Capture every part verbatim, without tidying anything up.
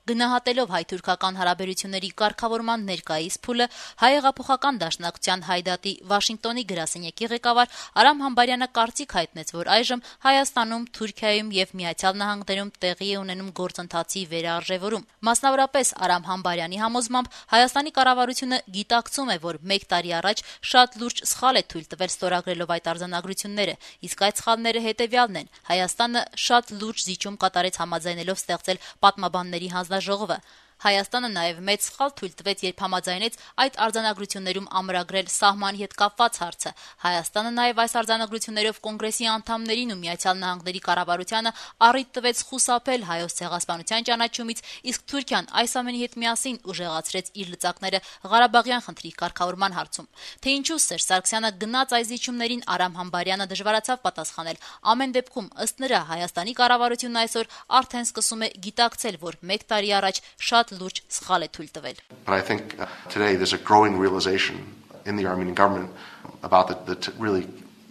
Գնահատելով հայ-թուրքական հարաբերությունների կարգավորման ներկայիս փուլը, հայ հեղափոխական դաշնակցության Հայդատի Վաշինգտոնի գրասենյակի ղեկավար Արամ Համբարյանը կարծիք հայտնեց, որ այժմ Հայաստանում, Թուրքիայում եւ Միացյալ Նահանգներում տեղի է ունենում գործընթացի վերարժևորում։ Մասնավորապես Արամ Համբարյանի համոզմամբ Հայաստանի կառավարությունը գիտակցում է, որ մեկ տարի առաջ շատ լուրջ սխալ է թույլ տվել ստորագրելով այդ արձանագրությունները, իսկ այդ սխալները հետեւյալն են. Հայաստանը շատ լուրջ զիջում կատարեց համաձայնելով ստեղծել պատմաբանների հանձնաժողովը։ Հայաստանը նաև մեծ սխալ թույլ տվեց, երբ համաձայնեց այդ արձանագրություններում ամրագրել սահմանի հետ կապված հարցը։ Հայաստանը նաև այս արձանագրություններով կոնգրեսի անդամներին ու Միացյալ Նահանգների կառավարությանը առիթ տվեց խուսափել հայոց ցեղասպանության ճանաչումից, իսկ Թուրքիան այս ամենի հետ միասին ուժեղացրեց իր լծակները Ղարաբաղյան խնդրի կարգավորման հարցում։ Թե ինչու Սերժ Սարգսյանը գնաց այս զիջումներին, Արամ Համբարյանը դժվարացավ պատասխանել։ Ամեն դեպքում, ըստ նրա, Հայաստանի կառավարությունն այսօր արդեն սկսում է գիտակցել, որ մեկ տարի առաջ շատ լուրջ սխալ է թույլ տվել։ But I think uh, today there's a growing realization in the Armenian government about the, the t- really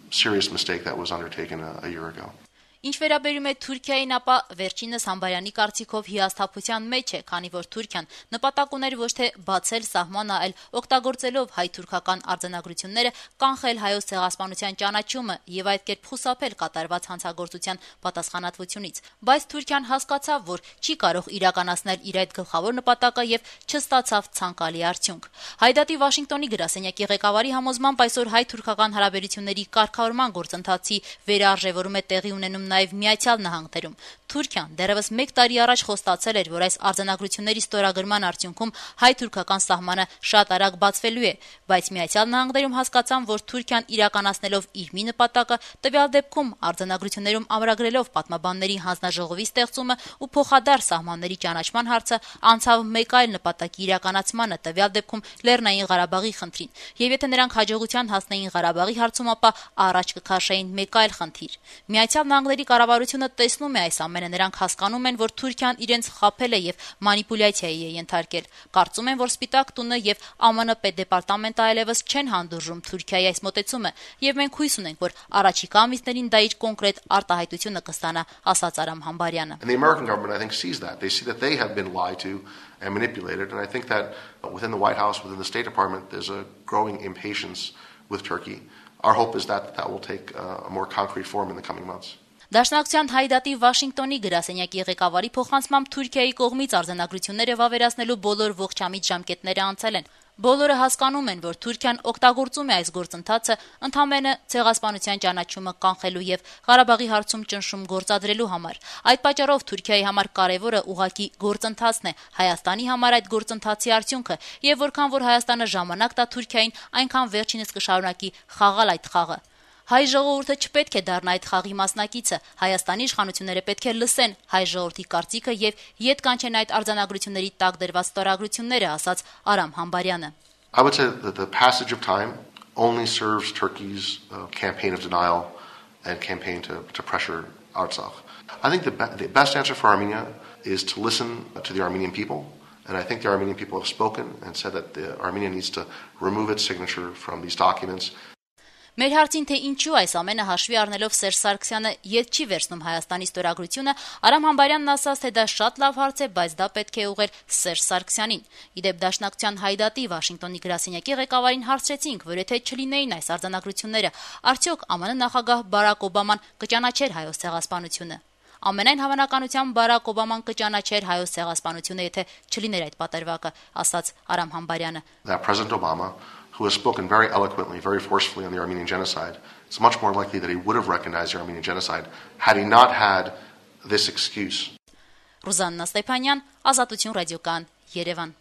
serious mistake that was undertaken a, a year ago. Ինչ վերաբերում է Թուրքիային, ապա վերջինս Համբարյանի կարծիքով հիասթափության մեջ է, քանի որ Թուրքիան նպատակ ուներ ոչ թե բացել սահմանը, այլ օգտագործելով հայ-թուրքական արձանագրությունները կանխել հայոց ցեղասպանության ճանաչումը եւ այդ կերպ խուսափել կատարված հանցագործության պատասխանատվությունից։ Բայց Թուրքիան հասկացավ, որ չի կարող իրականացնել իր այդ գլխավոր նպատակը եւ չստացավ ցանկալի արդյունք։ Հայդատի Վաշինգտոնի գրասենյակի ղեկավարի համոզմամբ այսօր հայ-թուրքական հարաբերությունների կարգավորման գործընթացի վերարժևորում է տեղի ունենում նաև Միացյալ Նահանգներում։ Թուրքիան դեռևս մեկ տարի առաջ խոստացել էր, որ այս արձանագրությունների ստորագրման արդյունքում հայ-թուրքական սահմանը շատ արագ բացվելու է, բայց Միացյալ Նահանգներում հասկացան, որ Թուրքիան իրականացնելով իր մի նպատակը, տվյալ դեպքում արձանագրություններում ամրագրելով պատմաբանների հանձնաժողովի ստեղծումը ու փոխադարձ սահմանների ճանաչման հարցը, անցավ մեկ այլ նպատակի իրականացմանը, տվյալ դեպքում Լեռնային Ղարաբաղի խնդրին։ Եվ եթե նրանք հաջողության հասնեին Ղարաբաղի հարցում, ապա առաջ կքաշեին մեկ այլ խնդիր։ Միացյալ Նահանգների կառավարությունը տեսնում է այս ամենը, նրանք հասկանում են, որ Թուրքիան իրենց խաբել է եւ մանիպուլյացիայի է ենթարկել։ Կարծում են, որ Սպիտակ տունը եւ ԱՄՆ պետդեպարտամենտը այլևս չեն հանդուրժում Թուրքիայի այս մոտեցումը, եւ մենք հույս ունենք, որ առաջիկա ամիսներին դա իր կոնկրետ արտահայտությունը կստանա, ասաց Արամ Համբարյանը։ And the American government I think sees that. They see that they have been lied to and manipulated, and I think that within the White House, within the State Department, there's a growing impatience with Turkey. Our hope is that that will take uh, a more concrete form in the coming months. Դաշնակցության Հայդատի Վաշինգտոնի գրասենյակի ղեկավարի փոխանցմամբ Թուրքիայի կողմից արձանագրությունները վավերացնելու բոլոր ողջամիտ ժամկետները անցել են։ Բոլորը հասկանում են, որ Թուրքիան օգտագործում է այս գործընթացը ընդհանրապես ցեղասպանության ճանաչումը կանխելու եւ Ղարաբաղի հարցում ճնշում գործադրելու համար։ Այդ պատճառով Թուրքիայի համար կարևորը ուղղակի գործընթացն է, Հայաստանի համար այդ գործընթացի արդյունքը, եւ որքան որ Հայաստանը ժամանակ տա Թուրքիային, այնքան վերջինս կշարունակի խաղալ այդ խաղը։ Հայ ժողովուրդը չպետք է դառնա այդ խաղի մասնակիցը, Հայաստանի իշխանությունները պետք է լսեն հայ ժողովրդի կարծիքը եւ ետ կանչեն այդ արձանագրությունների տակ դրված ստորագրությունները, ասաց Արամ Համբարյանը։ I would say that the passage of time only serves Turkey's uh, campaign of denial and campaign to, to pressure Artsakh. I think the, be- the best answer for Armenia is to listen to the Armenian people, and I think the Armenian people have spoken and said that the Armenia needs to remove its signature from these documents. Մեր հարցին, թե ինչու այս ամենը հաշվի առնելով Սերժ Սարգսյանը ետ չի վերցնում Հայաստանի ստորագրությունը, Արամ Համբարյանն ասաց, թե դա շատ լավ հարց է, բայց դա պետք է ուղղել Սերժ Սարգսյանին։ Իդեպ Դաշնակցության Հայդատի Վաշինգտոնի գրասենյակի ղեկավարին հարցրեցինք, որ եթե չլինեին այս արձանագրությունները, արդյոք ԱՄՆ նախագահ Բարակ Օբաման կճանաչեր հայոց ցեղասպանությունը։ Ամենայն հավանականությամբ Բարակ Օբաման կճանաչեր հայոց ցեղասպանությունը, եթե չլիներ այդ պատերվածը, ասաց Արամ Համբարյանը։ That President Obama, who has spoken very eloquently, very forcefully on the Armenian genocide, it's much more likely that he would have recognized the Armenian genocide had he not had this excuse. Ռուզաննա Ստեփանյան, Ազատություն ռադիոկան, Երևան։